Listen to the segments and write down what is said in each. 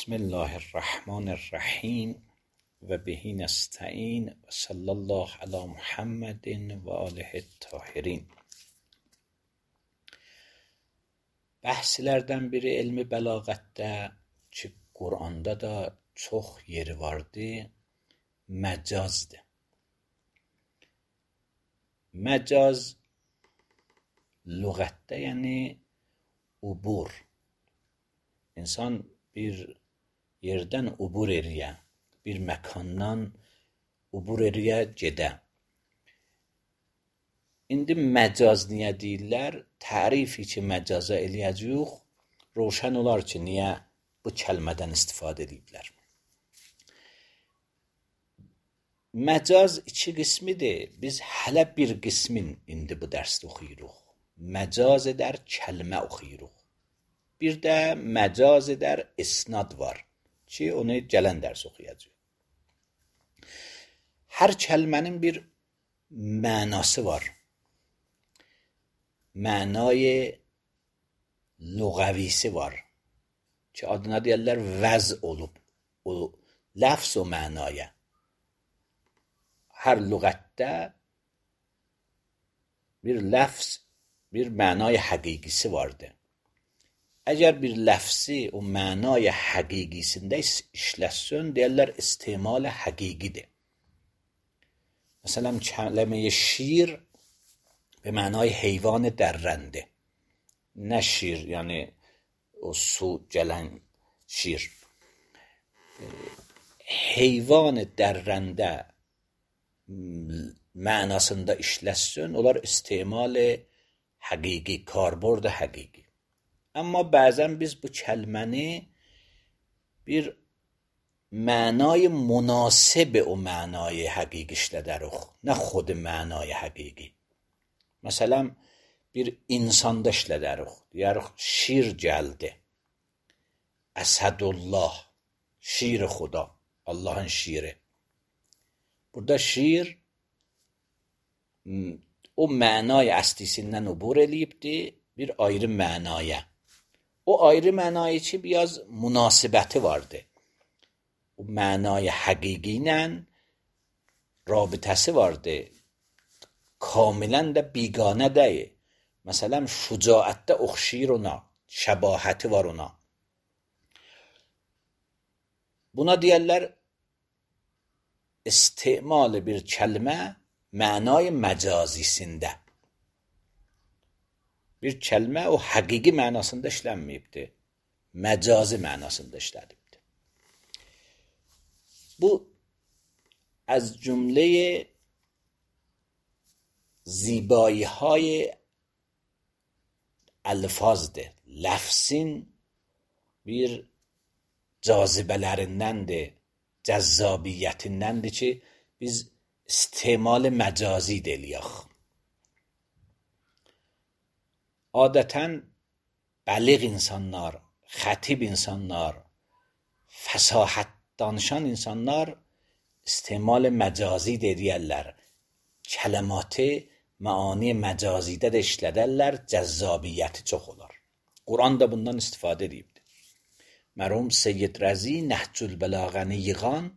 بسم الله الرحمن الرحیم و به نستعین و صلی الله علی محمد و آله الطاهرین. Bəhslərdən biri elmi bəlağətdə ki, Quranda da çox yeri vardır, məcazdır. Məcaz lüğətdə yəni ubur. İnsan bir yerdən ubur eləyə, bir məkandan ubur eləyə gedə. İndi məcaz niyə deyirlər? Tərifi ki, məcaza eləyəcəyik, roşan olar ki, niyə bu kəlmədən istifadə ediblər. Məcaz iki qismidir. Biz hələ bir qismin indi bu dərsdə oxuyuruq. Məcaz edər kəlmə oxuyuruq. Bir də məcaz edər isnad var ki, onu gələn dərs oxuyacaq. Hər kəlmənin bir mənası var. Mənay lüğəvisi var ki, adına deyərlər vəz olub. O ləfz o mənaya. Hər lüğətdə bir ləfz, bir mənay həqiqisi vardır. Əgər bir ləfzi o mənay həqiqisində işləsin, deyərlər istimal həqiqidir. Məsələn, kəlmə şir به معنای حیوان درنده، نه شیر یعنی o su gələn şir. Heyvan dərrəndə mənasında işləsin, onlar istimal həqiqi, karbord həqiqi. Amma bəzən biz bu kəlməni bir mənay münasib o mənay həqiqi işlədərik, nə xود mənay həqiqi. Məsələn, bir insanda işlədərik, deyərik, şir gəldi. Əsədullah, şir xuda, Allahın şiri. Burada şir o mənay əslisindən ubur eləyibdir, bir ayrı mənaya. O ayrı mənaya ki, biraz münasibəti vardır. O mənay həqiqi ilə rabitəsi vardır. Kamilən də biganə deyil. Məsələn, şücaətdə oxşayır ona, şəbahəti var ona. Buna deyərlər istimal bir kəlmə mənay məcazisində. Bir kəlmə o həqiqi mənasında işlənməyibdir. Məcazi mənasında işlədibdir. Bu az cümləyə زیبایی های الفاظdır. Lafzin bir cazibələrindəndir, cəzzabiyyətindəndir ki, biz istimal məcazi deyək. Adətən bəliğ insanlar, xətib insanlar, fəsahət danışan insanlar istimal məcazi deyirlər. Kələmatı maani məcazidə də işlədərlər, cəzzabiyyəti çox olar. Quran da bundan istifadə edibdir. Mərhum Seyyid Rəzi Nəhcül Bəlağəni yığan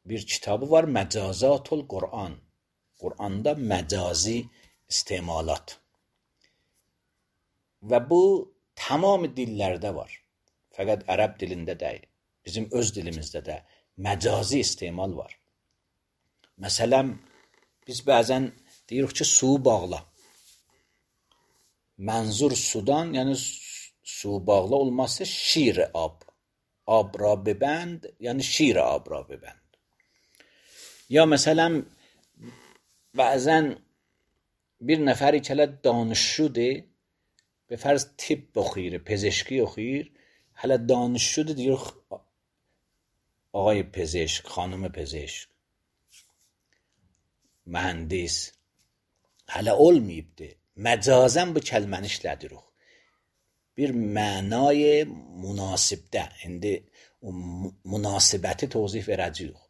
bir kitabı var, Məcazatul Quran. Quranda məcazi istimalat. Və bu tamam dillərdə var. Fəqət ərəb dilində deyil. Bizim öz dilimizdə də məcazi istimal var. Məsələn, biz bəzən deyirik ki, suyu bağla. Mənzur sudan, yəni su bağla olması şir ab. Ab ra bebənd, yəni şir ab ra bebənd. Ya məsələn, bəzən bir nəfəri ki, hələ danışşudur, به فرض تیب oxuyur, پزشکی oxuyur, hələ danışşudur, deyirik, آقای پزشک، خانم پزشک. Mühəndis hələ olmayıbdır. Məcazən bu kəlməni işlədirik. Bir mənay münasibdə. İndi o münasibəti tozih verəcəyik.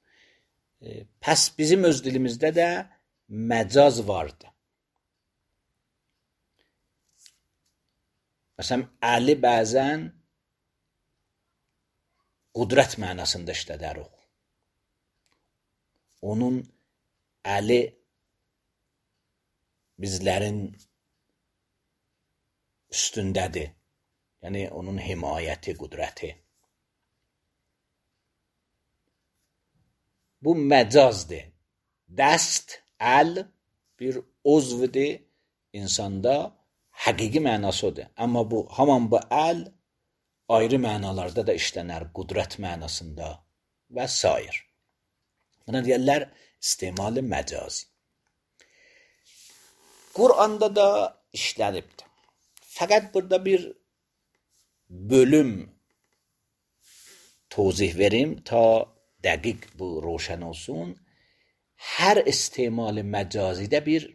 Pəs bizim öz dilimizdə də məcaz vardı. Məsələn, Əli bəzən qudrət mənasında işlədərik. Onun əli bizlərin üstündədir. Yəni onun himayəti, qudrəti. Bu məcazdır. Dəst, əl bir uzvdir insanda, həqiqi mənası odur. Amma bu, haman bu əl ayrı mənalarda da işlənər, qudrət mənasında və s. Buna deyərlər istimal-i məcazi. Quranda da işlənibdir. Fəqət burada bir bölüm tozih verim ta dəqiq bu roşən olsun. Hər istimal-i məcazidə bir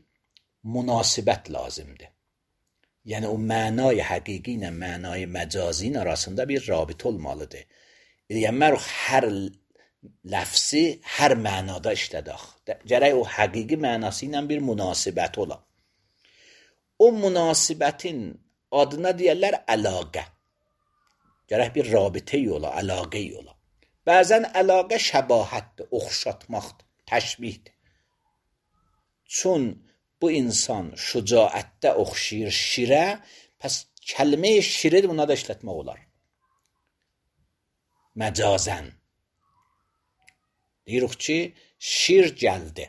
münasibət lazımdır. Yəni o mənay həqiqi ilə mənay məcazinin arasında bir rabit olmalıdır. Yəni hər ləfsi hər mənada işlədək. Gərək o həqiqi mənası ilə bir münasibət ola. O münasibətin adına deyərlər əlaqə. Gərək bir rabitə ola, əlaqə ola. Bəzən əlaqə şəbahətdir, oxşatmaqdır, təşbihdir. Çün bu insan şücaətdə oxşayır şirə, pəs kəlmə-i şiri buna da işlətmək olar. Məcazən. Deyirik ki, şir gəldi.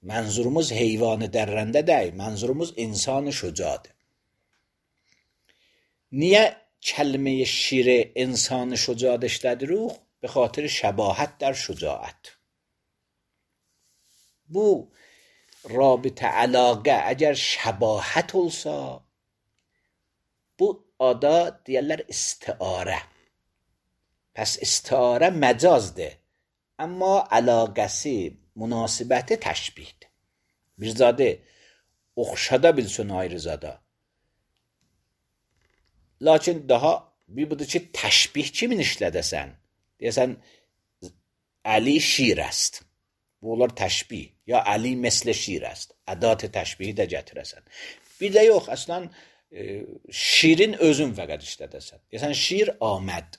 Mənzurumuz heyvanı dərrəndə deyil, mənzurumuz insanı şücadır. Niyə kəlmə-i şiri insanı şücadə işlədirik? Be xatir şəbahət در şücaət. Bu رابطه əlaqə əgər şəbahət olsa, bu ada deyərlər istiarə. Pəs istiarə məcazdır. Amma əlaqəsi, münasibəti təşbihdir. Bir zadı oxşada bilsin ayrı zada. Lakin daha bir budur ki, təşbih kimin işlədəsən? Deyəsən, Əli şir است. Bu olar təşbih. Ya Əli məslə şir است. Ədat təşbihi də gətirəsən. Bir də yox, əslən şirin özün fəqət işlədəsən. Deyəsən, şir Ahməd.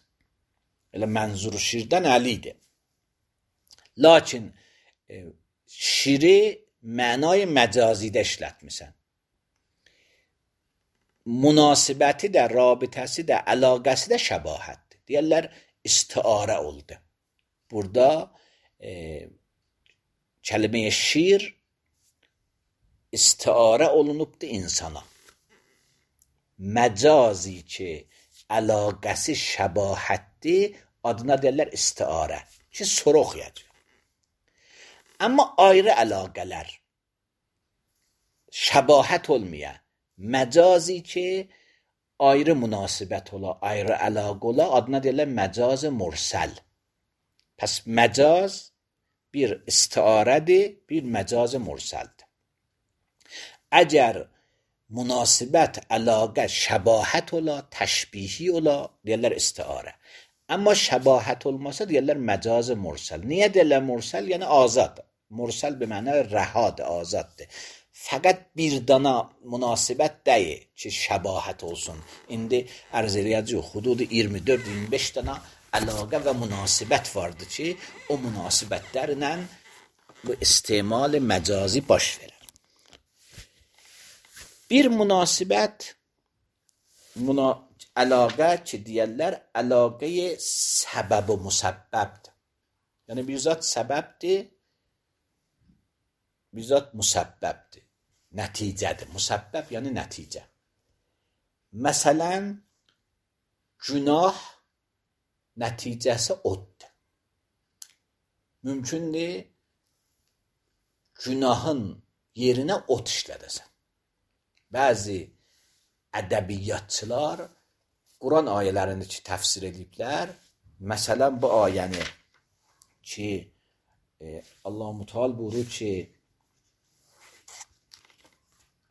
Elə mənzur şirdən Əlidir. Lakin şiri mənay məcazidə işlətmisən. Münasibəti də, rabitəsi də, əlaqəsi də şəbahətdir. Deyərlər, istiarə oldu. Burada kəlmə-i şir istiarə olunubdur insana. Məcazi ki, əlaqəsi şəbahətdir, adına deyərlər istiarə. Ki, soruq yəcək. Amma ayrı əlaqələr, şəbahət olmayan, məcazi ki, ayrı münasibət ola, ayrı əlaqə ola, adına deyirlər məcaz mursəl. Pəs məcaz bir istiarədir, bir məcaz mursəldir. Əgər münasibət, əlaqə, şəbahət ola, təşbihi ola, deyirlər istiarə. Amma şəbahət olmasa deyirlər məcaz mursəl. Niyə deyirlər mursəl? Yəni azad. Mursəl bir mənə rəhadır, azaddır. Fəqət bir dana münasibət deyil ki, şəbahət olsun. İndi ərz eləyəcək, xududu 24-25 dana əlaqə və münasibət vardır ki, o münasibətlərlə bu istimal məcazi baş verir. Bir münasibət, əlaqə ki, deyərlər, əlaqəyə səbəb və müsəbbəbdir. Yəni, bir zat səbəbdir, bir zat müsəbbəbdir. Nəticədir. Müsəbbəb yəni nəticə. Məsələn, günah nəticəsi oddur. Mümkündür, günahın yerinə od işlədəsən. Bəzi ədəbiyyatçılar Quran ayələrini ki, təfsir ediblər. Məsələn, bu ayəni ki, Allah-u Müteal buyurur ki,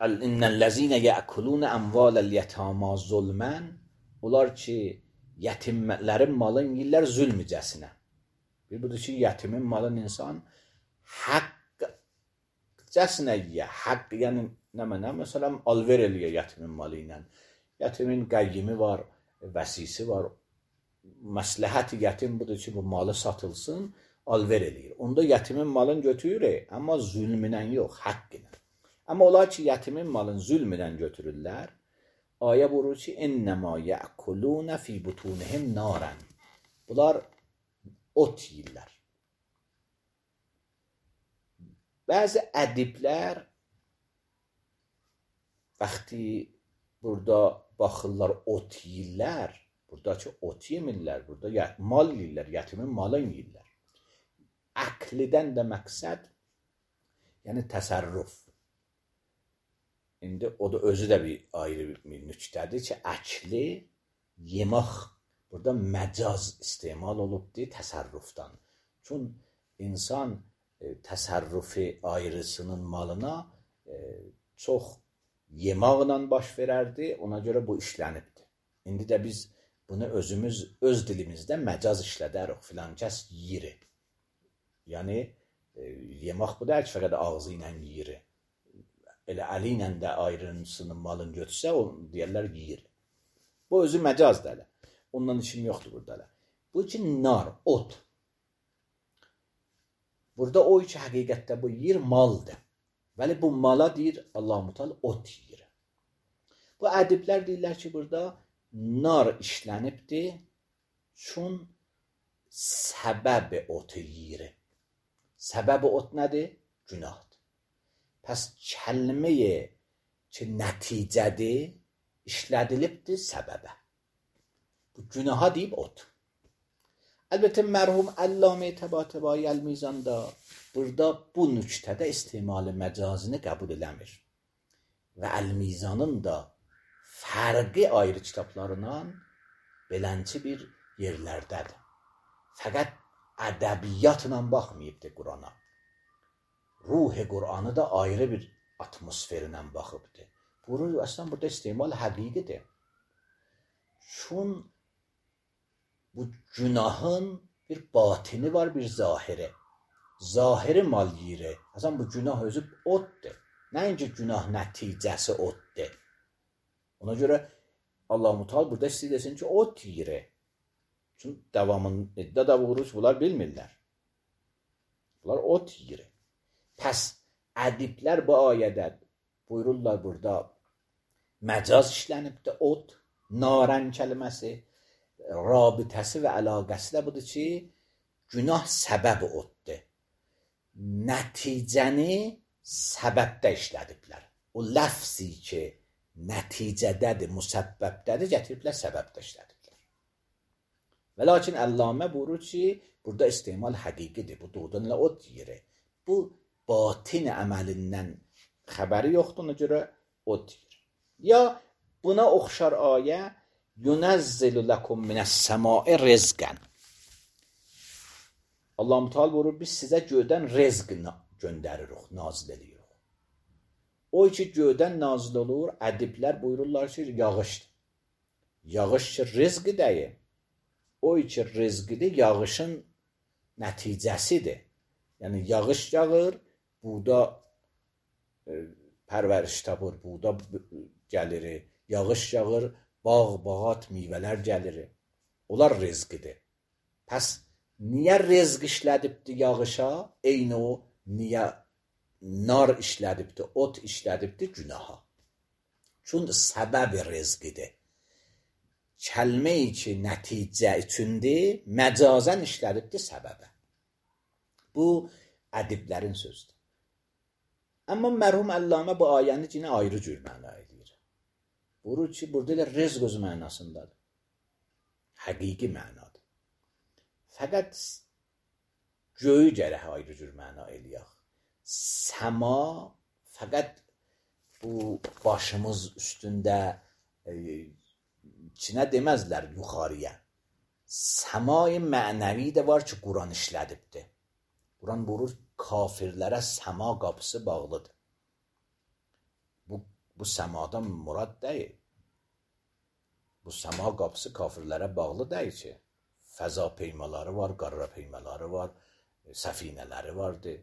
İnnellezine ya'kulun amvalel yetama zulmen, onlar ki yetimlərin malını yeyirlər zülmcəsinə. Bir budur ki, yetimin malını insan haqqcəsinə yiyə. Haqq yəni nə mənə? Məsələn, alver eləyə yetimin malı ilə. Yetimin qəyyimi var, vəsisi var. məsləhət yetim budur ki, bu malı satılsın, alver eləyir. Onda yetimin malını götürür, amma zülmünə yox, haqq ilə. Amma olar ki, yetimin malını zülmünə götürürlər. Ayə buyurur ki, innəmə yəkulunə fi butunihim narən. Bunlar ot yiyirlər. Bəzi ədiblər vaxtı burada baxırlar ot yiyirlər, buradakı ot yemirlər, burada mal yiyirlər, yetimin malını yiyirlər. Əklidən də məqsəd, yəni təsərrüf. İndi o da özü də bir ayrı bir nüktədir ki, əkli yemək burada məcaz istemal olubdur təsərrüfdən. Çünki insan təsərrüfi ayrısının malına çox yemaqla baş verərdi, ona görə bu işlənibdir. İndi də biz bunu özümüz öz dilimizdə məcaz işlədərik, filan kəs yiyir. Yəni yemək bu deyil ki, fəqət ağzı ilə yiyir. Elə əli ilə də ayrısının malını götürsə, deyərlər yiyir. Bu özü məcazdır elə. Ondan işim yoxdur burada elə. Bu ki, nar, ot. Burada o ki, həqiqətdə bu yiyir maldır. Bəli, bu mala deyir, Allah-u Teala ot yiyir. Bu ədiblər deyirlər ki, burada nar işlənibdir, çün səbəb otu yiyir. Səbəb ot nədir? Günahdır. Pəs kəlməyə ki, nəticədir, işlədilibdir səbəbə. Bu günaha deyib ot. Əlbəttə, mərhum Əllamə Təbatəbai Əl-Mizanda burada bu nüktədə istimalı məcazını qəbul eləmir. Və Əl-Mizanın da fərqi ayrı kitablarından belənçi bir yerlərdədir. Fəqət ədəbiyyatla baxmayıbdır Qurana. Ruh-i Qur'anı da ayrı bir atmosferindən baxıbdır. Əslən burada istimal həqiqidir. Çün bu günahın bir batini var, bir zahiri. Zahiri mal yiyir. Əslən bu günah özü otdur. Nəinki günah nəticəsi otdur. Ona görə Allah-u Teala burada istəyirsin ki, ot yiyir. Çünki davamında da vurur, bunlar bilmirlər. Bunlar ot yiyir. Pəs ədiblər bu ayədə buyururlar burada məcaz işlənibdir, ot, narən kəlməsi, rabitəsi və əlaqəsi də budur ki, günah səbəb otdur. Nəticəni səbəbdə işlədiblər. O ləfzi ki, nəticədədir, müsəbbəbdədir, gətiriblər səbəbdə işlədiblər. Və lakin Əllamə buyurur ki, burada istimal həqiqidir, bu doğrudan ot yiyir. Bu batin əməlindən xəbəri yoxdur, ona görə ot yiyir. Ya buna oxşar ayə yunəzzilu ləkum minəs-səmai rizqən. Allah-u Teala buyurur, biz sizə göydən rizq göndəririk, nazil edirik. O ki, göydən nazil olur, ədiblər buyururlar ki, yağışdır. Yağış ki, rizqi deyil. O ki, rizqidir, yağışın nəticəsidir. Yəni, yağış yağır, buğda pərvəriş tapır, buğda gəlir, yağış yağır, bağ, bağat, meyvələr gəlir. Onlar rizqidir. Pəs, niyə rizq işlədibdir yağışa? Eyni o, niyə nar işlədibdir, ot işlədibdir günaha? Çünki səbəb rizqidir. Kəlmə-i ki, nəticə üçündür, məcazən işlədibdir səbəbə. Bu, ədiblərin sözdür. Amma mərhum Əllamə bu ayəni yine ayrı cür məna edir. Buyurur ki, burada elə rizq öz mənasındadır. Həqiqi mənadır. Fəqət göyü gərək ayrı cür məna eləyək. Səma fəqət bu başımız üstündə içinə deməzlər yuxarıya. Səma-i mənəvi də var ki, Quran işlədibdir. Quran buyurur, kafirlərə səma qapısı bağlıdır. Bu səmadan murad deyil. Bu səma qapısı kafirlərə bağlı deyil ki. Fəza peymaları var, qarra peymaları var, səfinələri vardır.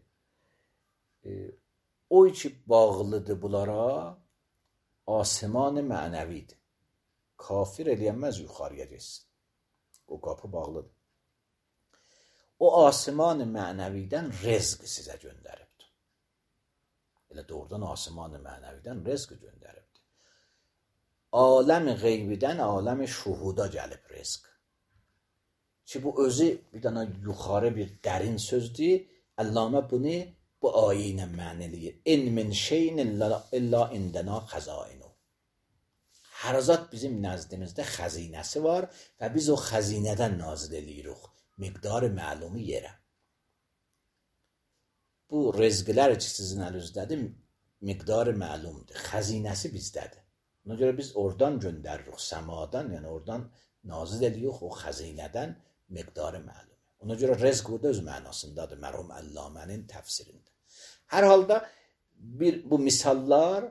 O ki bağlıdır bunlara, asiman-ı mənəvidir. Kafir eləyənməz yuxarıya geçsin. o qapı bağlıdır. O asiman-ı mənəvidən rızq sizə göndəribdir. Elə doğrudan asiman-ı mənəvidən rızq göndəribdir. Aləm-i qeybidən aləm-i şuhuda gəlib rızq. Ki bu özü bir dənə yuxarı bir dərin sözdür. Əllamə bunu bu ayə ilə məna eləyir. İn min şeyin illa indəna xəzainu. Hər zat bizim nəzdimizdə xəzinəsi var və biz o xəzinədən nazil eləyirik. Miqdarı məlumu yerə. Bu rızqlar ki sizin əlinizədir, miqdarı məlumdur. Xəzinəsi bizdədir. Ona görə biz oradan göndəririk, səmadan, yəni oradan nazil eləyirik o xəzinədən miqdarı məlum. Ona görə rızq burada öz mənasındadır, mərhum Əllamənin təfsirində. Hər halda bu misallar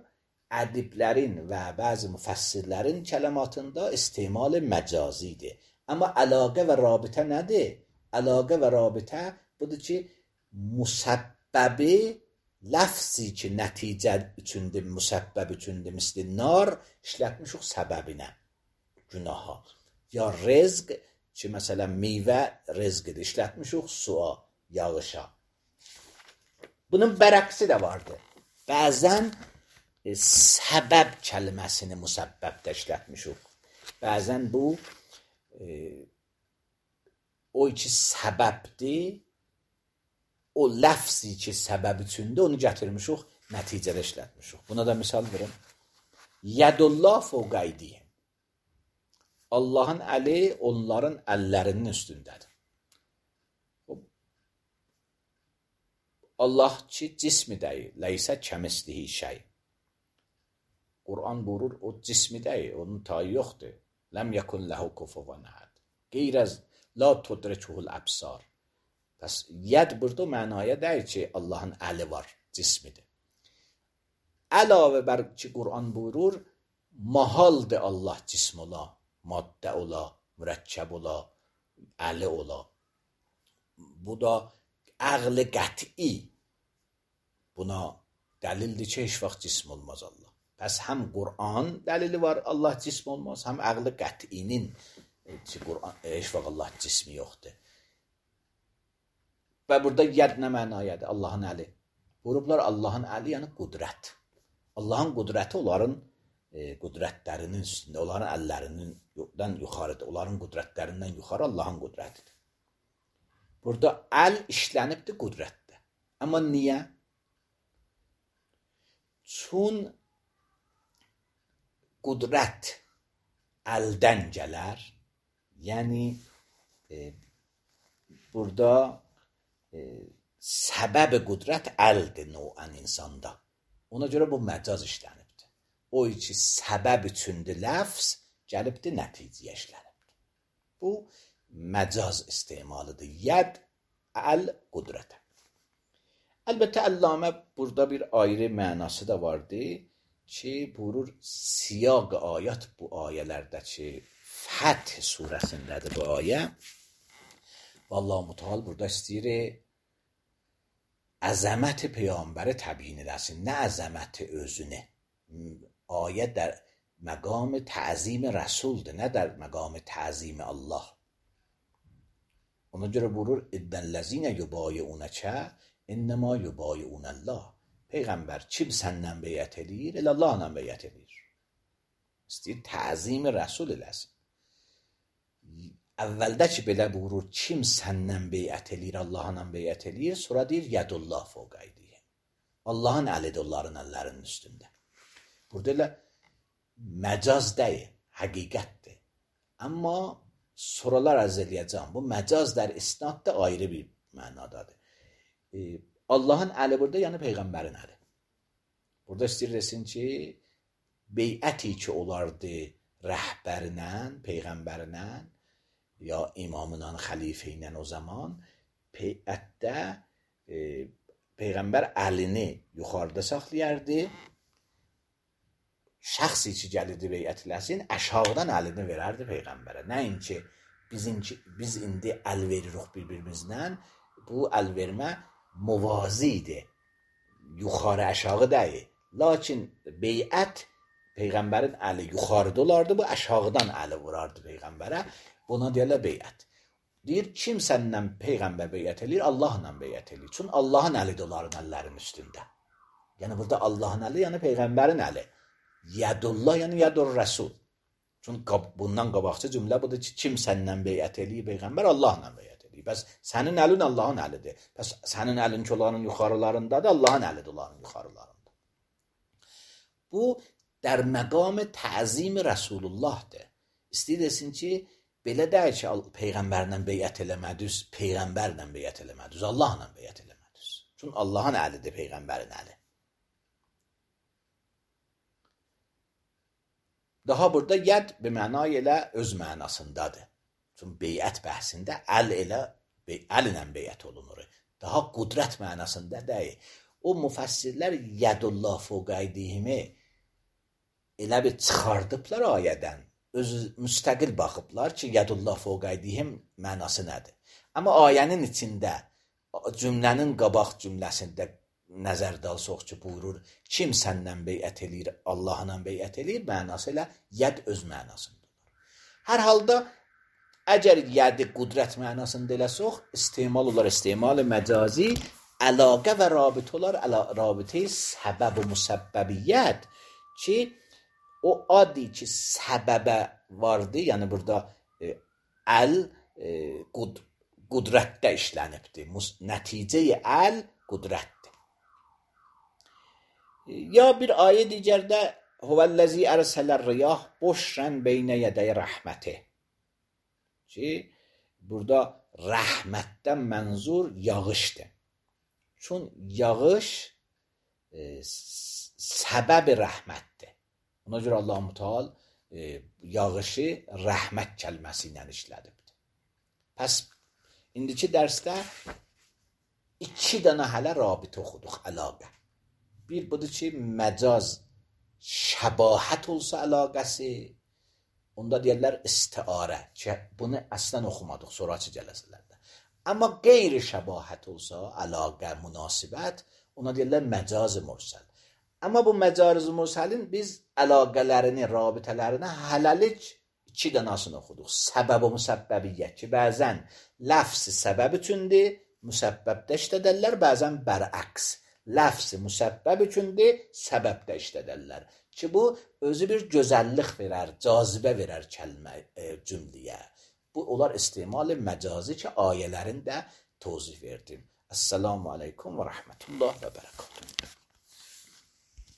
ədiblərin və bəzi müfəssirlərin kələmatında istimal-i məcazidir. Amma əlaqə və rabitə nədir? Əlaqə və rabitə budur ki, müsəbbəbi ləfzi ki, nəticə üçündür, müsəbbəb üçündür, misli nar işlətmişik səbəbinə, günaha. Ya rızq ki, məsələn, meyvə rızqıdır, işlətmişik suya, yağışa. Bunun bərəqsi də vardır. Bəzən səbəb kəlməsini müsəbbəbdə işlətmişik. Bəzən bu o ki səbəbdir, o ləfzi ki səbəb üçündür, onu gətirmişik, nəticədə işlətmişik. Buna da misal verim. Yədullah fəvqə eydihim. Allahın əli onların əllərinin üstündədir. Allah ki cismi deyil, leysə kəmislihi şey. Quran buyurur, o cismi deyil, onun tayı yoxdur. Ləm yəkun ləhu kufuvan əhəd. Qeyrəz la tudrikuhul əbsar. Pəs yəd burada mənaya deyil ki, Allahın əli var, cismidir. Əlavə bər ki, Quran buyurur, mahaldır Allah cism ola, maddə ola, mürəkkəb ola, əli ola. Bu da əqli qəti buna dəlildir ki, heç vaxt cism olmaz Allah. Pəs həm Quran dəlili var, Allah cism olmaz, həm əqli qətinin ki, heç vaxt Allah cismi yoxdur. Və burada yəd nə mənayədir? Allahın əli. Buyurublar, Allahın əli yəni qudrət. Allahın qudrəti onların qudrətlərinin üstündə, onların əllərindən yuxarıdır. Onların qudrətlərindən yuxarı Allahın qudrətidir. Burada əl işlənibdir qudrətdə. Amma niyə? Çün qudrət əldən gələr, yəni burada səbəb qudrət əldir növən insanda. Ona görə bu məcaz işlənibdir. O ki səbəb üçündür ləfz, gəlibdir nəticəyə işlənibdir. Bu məcaz istimalıdır. Yəd əl qudrətə. Əlbəttə Əllamə burada bir ayrı mənası da vardı ki, buyurur siyaq ayət bu ayələrdə ki, Fəth surəsindədir bu ayə. Vallahi Mütəal burada istəyir əzəmət Peyğəmbəri təbyin eləsin, nə əzəməti özünü. Ayə در məqam təzim rəsuldur, nə در məqam təzim Allah. Ona görə buyurur, İddəl-ləzinə yubayi'unəkə innəmə yubayi'unəllah. Peyğəmbər kim səndən beyət edir, elə Allahla beyət edir. İstəyir təzim rəsul eləsin. Əvvəldə ki, belə buyurur, kim səndən beyət edir, Allahla beyət edir, sonra deyir, yədullah fəvqə eydihim. Allahın əlidir onların əllərinin üstündə. Burada elə məcaz deyil, həqiqətdir. Amma sorular ərz eləyəcəm. Bu məcaz der isnadda ayrı bir mənadadır. Allahın əli burada, yəni Peyğəmbərin əli. Burada istəyir desin ki, beyəti ki olardı rəhbərinə, Peyğəmbərinə, ya imamla, xəlifə ilə o zaman beyətdə Peyğəmbər əlini yuxarıda saxlayardı. Şəxsi ki gəlirdi beyət eləsin, əşağıdan əlini verərdi Peyğəmbərə. Nəinki biz indi əl veririk bir-birimizdən, bu əl vermə muvazidir, yuxarı əşağı deyil. Lakin beyət Peyğəmbərin əli yuxarıda olardı, bu əşağıdan əli vurardı Peyğəmbərə. Buna deyirlər beyət. Deyir, kim səndən Peyğəmbər beyət eləyir? Allahla beyət eləyir. Çünki Allahın əlidir onların əllərinin üstündə. Yəni burada Allahın əli, yəni Peyğəmbərin əli. Yədullah, yəni yədur rəsul. Çünki bundan qabaqçı cümlə budur ki, kim səndən beyət eləyir Peyğəmbər? Allahla beyət eləyir. Bəs sənin əlin Allahın əlidir. Bəs sənin əlin ki, onların yuxarılarındadır, Allahın əlidir onların yuxarılarında. Bu, در مقام تعظیم رسول Allah'dır. İstəyir desin ki, belə deyil ki, Peyğəmbərlə beyət eləmədiniz, Peyğəmbərlə beyət eləmədiniz, Allahla beyət eləmədiniz. Çünki Allahın əlidir Peyğəmbərin əli. Daha burada yəd bir məna ilə öz mənasındadır. Çünki beyət bəhsində əl ilə beyət olunur. Daha qudrət mənasında deyil. O müfəssirlər yədullah fəqəydihimi elə bir çıxardıblar ayədən. Özü müstəqil baxıblar ki, yədullah fəqəydihim mənası nədir? Amma ayənin içində, cümlənin qabaq cümləsində nəzərdə alsaq ki, buyurur, kim səndən beyət eləyir, Allahla beyət eləyir, mənası ilə yəd öz mənasındadır. Hər halda, əgər yədi qudrət mənasında eləsək, istemal məcazi, əlaqə və rabitə olar, rabitə səbəb və müsəbbəbiyyət ki, o adi ki, səbəbə vardı, yəni burada əl qudrətdə işlənibdir. Nəticəyi əl qudrətdir. Ya bir ayə digərdə Huvəl-ləzi ərsələr riyah boşrən beynə yədəy rəhməti ki, burada rəhmətdən mənzur yağışdır. Çünki yağış səbəb-i rəhmətdir. Ona görə Allah-u Teala yağışı rəhmət kəlməsi ilə işlədibdir. Pəs, indiki dərsdə 2 dənə hələ rabitə oxuduq, əlaqə. Bir budur ki, məcaz şəbahət olsa əlaqəsi, onda deyərlər istiarə ki, bunu əslən oxumadıq sonraki cələsələrdə. Amma qeyri şəbahət olsa, əlaqə, münasibət, ona deyərlər məcaz mürsəl. Amma bu məcaz mürsəlin biz əlaqələrini, rabitələrini hələlik 2 dənəsini oxuduq. Səbəb və müsəbbəbiyyət ki, bəzən ləfs səbəb üçündür, müsəbbəbdə işlədərlər, bəzən bərəks. Ləfs müsəbbəb üçündür, səbəbdə işlədərlər. Ki, bu özü bir gözəllik verər, cazibə verər cümləyə. Bu, onlar istimal məcazi ki, ayələrin də tozih verdim. Əssəlamu aleykum və rəhmətullah və bərəkatuhu.